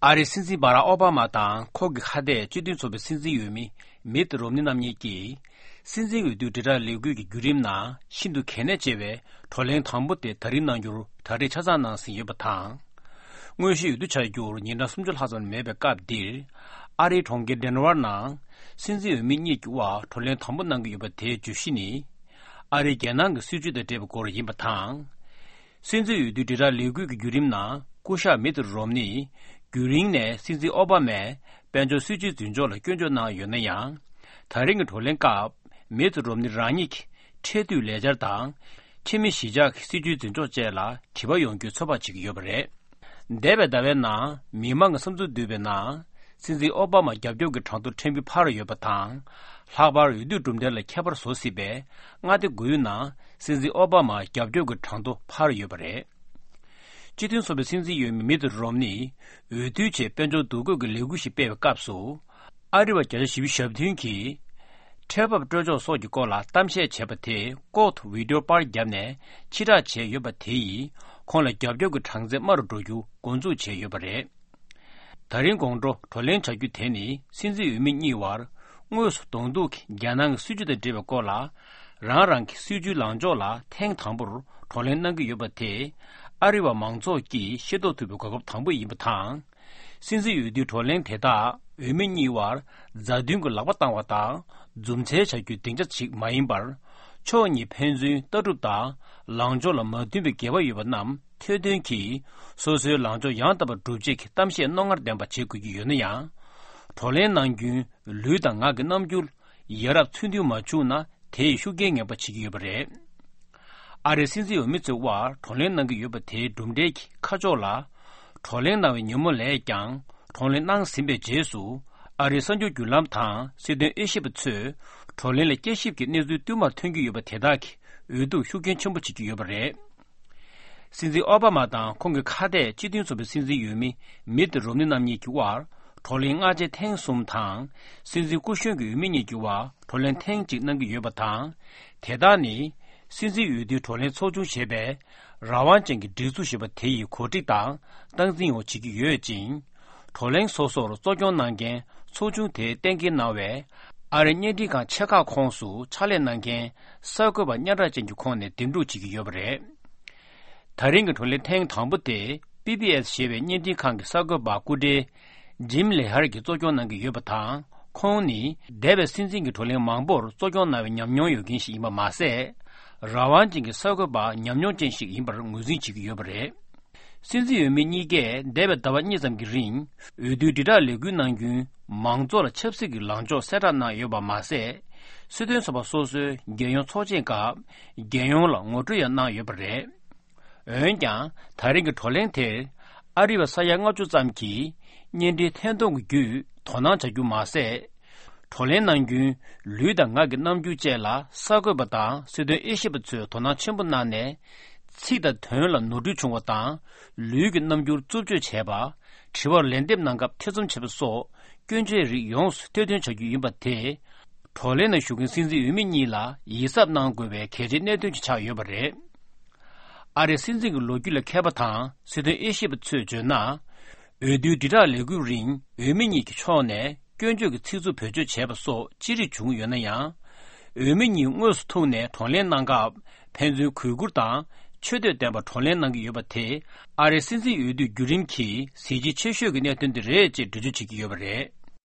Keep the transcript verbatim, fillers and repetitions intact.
ཨ་རིའི་སྲིད་འཛིན་བྷ་རག་ཨོ་བྷ་མ་དང་ཁོང་གི་ཁ་གཏད་སྤྱི་མཐུན་ཚོགས་པའི་སྲིད་འཛིན་འོས་མི་མིད་རོམ་ནི་རྣམ་གཉིས་ཀྱིས། སྲིད་འཛིན་འོས་བསྡུའི་དྲིལ་བསྒྲགས་ལས་འགུལ་གྱི་བརྒྱུད་རིམ་ནང་ཤིན་ཏུ་གལ་གནད་ཆེ་བའི་བགྲོ་གླེང་དང་པོ་དེ་ད་རེས་གནང་རྒྱུར་གྲ་སྒྲིག་ཆ་ཚང་གནང་ཟིན་ཡོད་པ་དང་། དངོས་གཞིའི་འོས་བསྡུ་བྱ་རྒྱུར་ཉིན་གྲངས་སུམ་ཅུ་ལྷག་ཙམ་མེད་པའི་སྐབས་འདིར། ཨ་རིའི་གྲོང་ཁྱེར་ཌེན་ཝར་ནང་སྲིད་འཛིན་འོས་མི་གཉིས་ཀྱི་དབར་བགྲོ་གླེང་དང་པོ་གནང་གི་ཡོད་པ་དེའི་བརྗོད་གཞི་ནི། ཨ་རིའི་རྒྱལ་ནང་གི་སྲིད་བྱུས་དང་འབྲེལ་བའི་སྐོར་ཡིན་པ་དང་། སྲིད་འཛིན་འོས་བསྡུའི་དྲིལ་བསྒྲགས་ལས་འགུལ་གྱི་བརྒྱུད་རིམ་ནང་སྐུ་ཞབས་མིད་རོམ་ནི་རྒྱུན་རིང་ནས་སྲིད་འཛིན་ཨོ་བྷ་མས་དཔལ་འབྱོར་སྲིད་བྱུས་འཛིན་ཕྱོགས་ལ་སྐྱོན་བརྗོད་གནང་ཡོད་ན་ཡང་། ད་རིང་གི་བགྲོ་གླེང་སྐབས་མིད་རོམ་ནི་རང་ཉིད་ཀྱི་ཁྲལ་བསྡུའི་ལས་འཆར་དང་། ཕྱི་མི་གཞིས་ཆགས་ཀྱི་སྲིད་བྱུས་འཛིན་ཕྱོགས་བཅས་ལ་དྲི་བ་ཡོང་རྒྱུའི་ཚོད་དཔག་བྱེད་ཀྱི་ཡོད་པ་རེད། འདས་པའི་ཟླ་བའི་ནང་མི་མང་གི་བསམ་ཚུལ་བསྡུས་པའི་ནང་། སྲིད་འཛིན་ཨོ་བྷ་མ་རྒྱབ་སྐྱོར་གྱི་གྲངས་ཐོ་ཕྲན་བུ་འཕར་ཡོད་པ་དང་། ལྷག་པར་འོས་བསྡུའི་གྲུབ་འབྲས་ལ་ཁྱད་པར་བཟོ་སྲིད་པའི་མངའ་སྡེ་དགུའི་ནང་སྲིད་འཛིན་ཨོ་བྷ་མ་རྒྱབ་སྐྱོར་གྱི་གྲངས་ཐོ་འཕར་ཡོད་པ་རེད། སྤྱི་མཐུན་ཚོགས་པའི་སྲིད་འཛིན་འོས་མི་མིད་རོམ་ནི་འོས་བསྡུའི་ཆེད་དཔལ་འབྱོར་འདུ་འགོད་ཀྱི་ལས་འགུལ་ཞིག་སྤེལ་བའི་སྐབས་སུ། ཨ་རི་བ་བརྒྱ་ཆ་བཞི་བཅུ་ཞེ་བདུན་གྱིས་ཁྲལ་འབབ་སྤྲོད་ཕྱོགས་སོགས་ཀྱི་སྐོར་ལ་གཏམ་བཤད་བྱས་པ་དེ་ལྐོག་ཏུ་བི་ཌིའོ་པར་བརྒྱབ་ནས་ཕྱིར་བསྒྲགས་བྱས་ཡོད་པ་དེ་ཡིས་ཁོང་ལ་རྒྱབ་སྐྱོར་གྱི་གྲངས་ཚད་དམའ་རུ་འགྲོ་རྒྱུ་འགོ་འཛུགས་བྱས་ཡོད་པ་རེད། ད་རིང་དགོང་དྲོ་བགྲོ་གླེང་བྱ་རྒྱུ་དེ་ནི་སྲིད་འཛིན་འོས་མི་གཉིས་བར་དངོས་སུ་གདོང་ཐུག་གིས་རྒྱལ་ནང་གི་སྲིད་བྱུས་དང་འབྲེལ་བའི་སྐོར་ལ། རང་རང་གི་སྲིད་བྱུས་ལངས་ཕྱོགས་ལ་ཐེངས་དང་པོར་བགྲོ་གླེང་གནང་གི་ཡོད་པ་དེ། ཨ་རི་བ་མང་ཚོགས་ཀྱིས་ཤེས་རྟོགས་ཐུབ་པའི་གོ་སྐབས་དང་པོ་ཡིན་པ་དང་། སྲིད་འཛིན་འོས་བསྡུའི་བགྲོ་གླེང་དེ་དག་འོས་མི་གཉིས་བར་མཛའ་མཐུན་གྱི་ལག་པ་བཏང་བ་དང་། རྫུ་འཕྲུལ་བྱ་རྒྱུའི་སྡིངས་ཆ་ཞིག་མ་ཡིན་པར། ཕྱོགས་གཉིས་ཕན་ཚུན་ལྟ་གྲུབ་དང་། ལངས་ཕྱོགས་ལ་མ་མཐུན་པའི་འགལ་བ་ཡོད་པ་རྣམས་ཐེར་འདོན་གྱིས། སོ་སོའི་ལངས་ཕྱོགས་ཡང་དག་པར་སྒྲུབ་ཆེད་ཀྱི་གཏམ་བཤད་རྣོ་ངར་ལྡན་པ་བྱེད་དགོས་ཀྱི་ཡོད་ན་ཡང་། བགྲོ་གླེང་གནང་རྒྱུན་ལུས་དང་ངག་གི་རྣམ་འགྱུར་ཡ་རབས་ཚུལ་མཐུན་མ་བྱུང་ན། དེས་ཤུགས་རྐྱེན་ངན་པ་བྱེད་ཀྱི་ཡོད་པ་རེད། ཨ་རིའི་སྲིད་འཛིན་འོས་མི་ཚོའི་དབར་བགྲོ་གླེང་གནང་གི་ཡོད་པ་དེའི་གྲུབ་འབྲས་ཀྱི་ཁ་ཕྱོགས་ལ། བགྲོ་གླེང་གནང་བའི་ཉིན་མོ་ལས་ཀྱང་། བགྲོ་གླེང་གནང་ཟིན་པའི་རྗེས་སུ། ཨ་རིའི་གསར་འགྱུར་བརྒྱུད་ལམ་དང་སྲིད་དོན་དབྱེ་ཞིབ་པ་ཚོས། བགྲོ་གླེང་ལ་དཔྱད་ཞིབ་ཀྱི་གནས་ཚུལ་བསྟུད་མར་ཐོན་གྱི་ཡོད་པ་དེ་དག་གིས་འོས་བསྡུར་ཤུགས་རྐྱེན་ཆེན་པོ་བྱེད་ཀྱི་ཡོད་པ་རེད། སྲིད་འཛིན་ཨོ་བྷ་མ་དང་ཁོང་གི་ཁ་གཏད་སྤྱི་མཐུན་ཚོགས་པའི་སྲིད་འཛིན་འོས་མི་མིད་རོམ་ནི་རྣམ་གཉིས་ཀྱི་དབར་བགྲོ་གླེང་སྔ་རྗེས་ཐེངས་གསུམ་དང་། སྲིད་འཛིན་སྐུ་གཞོན་གྱི་འོས་མི་གཉིས་ཀྱི་དབར་བགྲོ་གླེང་ཐེངས་གཅིག་གནང་གི་ཡོད་པ་དང་། དེ་དག་ནི་སྲིད་འཛིན་འོས་བསྡུའི་བགྲོ་གླེང་ཚོགས་ཆུང་ཞེས་པའི་རང་དབང་ཅན་གྱི་སྒྲིག་འཛུགས་ཞེས་པ་དེ་ཡིས་གོ་སྒྲིག་དང་སྟངས་འཛིན་འོག་བྱེད་ཀྱི་ཡོད་ཅིང་། བགྲོ་གླེང་སོ་སོར་གཙོ་སྐྱོང་གནང་མཁན་ཚོགས་ཆུང་དེའི་གཏན་འཁེལ་གནང་བའི་ཨ་རིའི་བརྙན་འཕྲིན་ཁང་ཆེ་ཁག་ཁོངས་སུ་ཕྱག་ལས་གནང་མཁན་གསར་འགོད་པ་སྙན་གྲགས་ཅན་གྱི་ཁོངས་ནས་འདེམས་སྒྲུག་བྱེད་ཀྱི་ཡོད་པ་རེད། ད་རིང་གི་བགྲོ་གླེང་ཐེངས་དང་པོ་དེ་པི་བི་ཨེས་ཞེས་པའི་བརྙན་འཕྲིན་ཁང་གི་གསར་འགོད་པ་སྐུ་བགྲེས་ཇིམ་ལེ་ཧར་གྱིས་གཙོ་སྐྱོང་གནང་གི་ཡོད་པ་དང་། ཁོང་ནི་འདས་པའི་སྲིད་འཛིན་གྱི་བགྲོ་གླེང་མང་པོར་གཙོ་སྐྱོང་གནང་བའི་ཉམས་མྱོང་ཡོད་མཁན་ཞིག་ཡིན་པ་མ་ཟད། རང་དབང་ཅན་གྱི་གསར་འགོད་པ་ཉམས་མྱོང་ཅན་ཞིག་ཡིན་པར་ངོས་འཛིན་བྱེད་ཀྱི་ཡོད་པ་རེད། སྲིད་འཛིན་འོས་མི་གཉིས་ཀས་འདས་པའི་ཟླ་བ་གཉིས་ཙམ་གྱི་རིང་འོས་བསྡུའི་དྲིལ་བསྒྲགས་ལས་འགུལ་གནང་རྒྱུན་མང་ཚོགས་ལ་ཆབ་སྲིད་ཀྱི་ལངས་ཕྱོགས་གསལ་བསྒྲགས་གནང་ཡོད་པ་མ་ཟད། སྲིད་དོན་ཚོགས་པ་སོ་སོའི་རྒྱལ་ཡོངས་ཚོགས་ཆེན་སྐབས་རྒྱལ་ཡོངས་ལ་ངོ་སྤྲོད་ཡང་གནང་ཡོད་པ་རེད། འོན་ཀྱང་ད་རིང་གི་བགྲོ་གླེང་དེར་ཨ་རི་བ་ས་ཡ་ལྔ་བཅུ་ཙམ་གྱིས་བརྙན་འཕྲིན་ཐད་གཏོང་གི་བརྒྱུད་དོ་སྣང་བྱ་རྒྱུ་མ་ཟད། བགྲོ་གླེང་གནང་རྒྱུན་ལུས་དང་ངག་གི་རྣམ་འགྱུར་བཅས་ལ་གསར་འགོད་པ་དང་སྲིད་དོན་དབྱེ་ཞིབ་པ་ཚོས་དོ་སྣང་ཆེན་པོ་གནང་ནས། ཚིག་དང་དོན་ལ་ནོར་འཁྲུལ་བྱུང་བ་དང་། ལུས་ཀྱི་རྣམ་འགྱུར་རྩུབ་སྤྱོད་བྱས་པ། དྲི་བར་ལན་འདེབས་གནང་སྐབས་ཐེ་ཚོམ་བྱས་པ་སོགས་སྐྱོན་བརྗོད་རིགས་ཡོངས་སུ་ཐེར་འདོན་བྱ་རྒྱུ་ཡིན་པ་དེ། བགྲོ་གླེང་ནང་ཞུགས་མཁན་སྲིད་འཛིན་འོས་མི་གཉིས་ལ་ཡིད་གཟབ་གནང་དགོས་པའི་གལ་ཆེའི་གནད་དོན་ཞིག་ཆགས་ཡོད་པ་རེད། ཨ་རིའི་སྲིད་འཛིན་གྱི་ལོ་རྒྱུས་ལ་མཁས་པ་དང་སྲིད་དོན་དབྱེ་ཞིབ་པ་ཚོས་བརྗོད་ན། འོས་བསྡུའི་དྲིལ་བསྒྲགས་ལས་འགུལ་རིང་འོས་མི་གཉིས་ཀྱི་ཕྱོགས་ནས་སྐྱོན་བརྗོད་ཀྱི་ཚིག་རྩུབ་བེད་སྤྱོད་བྱས་པ་སོགས་ཅི་རིགས་བྱུང་ཡོད་ན་ཡང་། འོས་མི་གཉིས་དངོས་སུ་ཐུག་ནས་བགྲོ་གླེང་གནང་སྐབས་ཕན་ཚུན་གུས་བཀུར་དང་ཆེ་བསྟོད་ལྡན་པར་བགྲོ་གླེང་གནང་གི་ཡོད་པ་དེ་ཨ་རིའི་སྲིད་འཛིན་འོས་བསྡུའི་བརྒྱུད་རིམ་གྱི་གཟི་བརྗིད་ཆེ་ཤོས་ཀྱི་གནད་དོན་དེ་རེད་ཅེས་འགྲེལ་བརྗོད་བྱེད་ཀྱི་ཡོད་པ་རེད།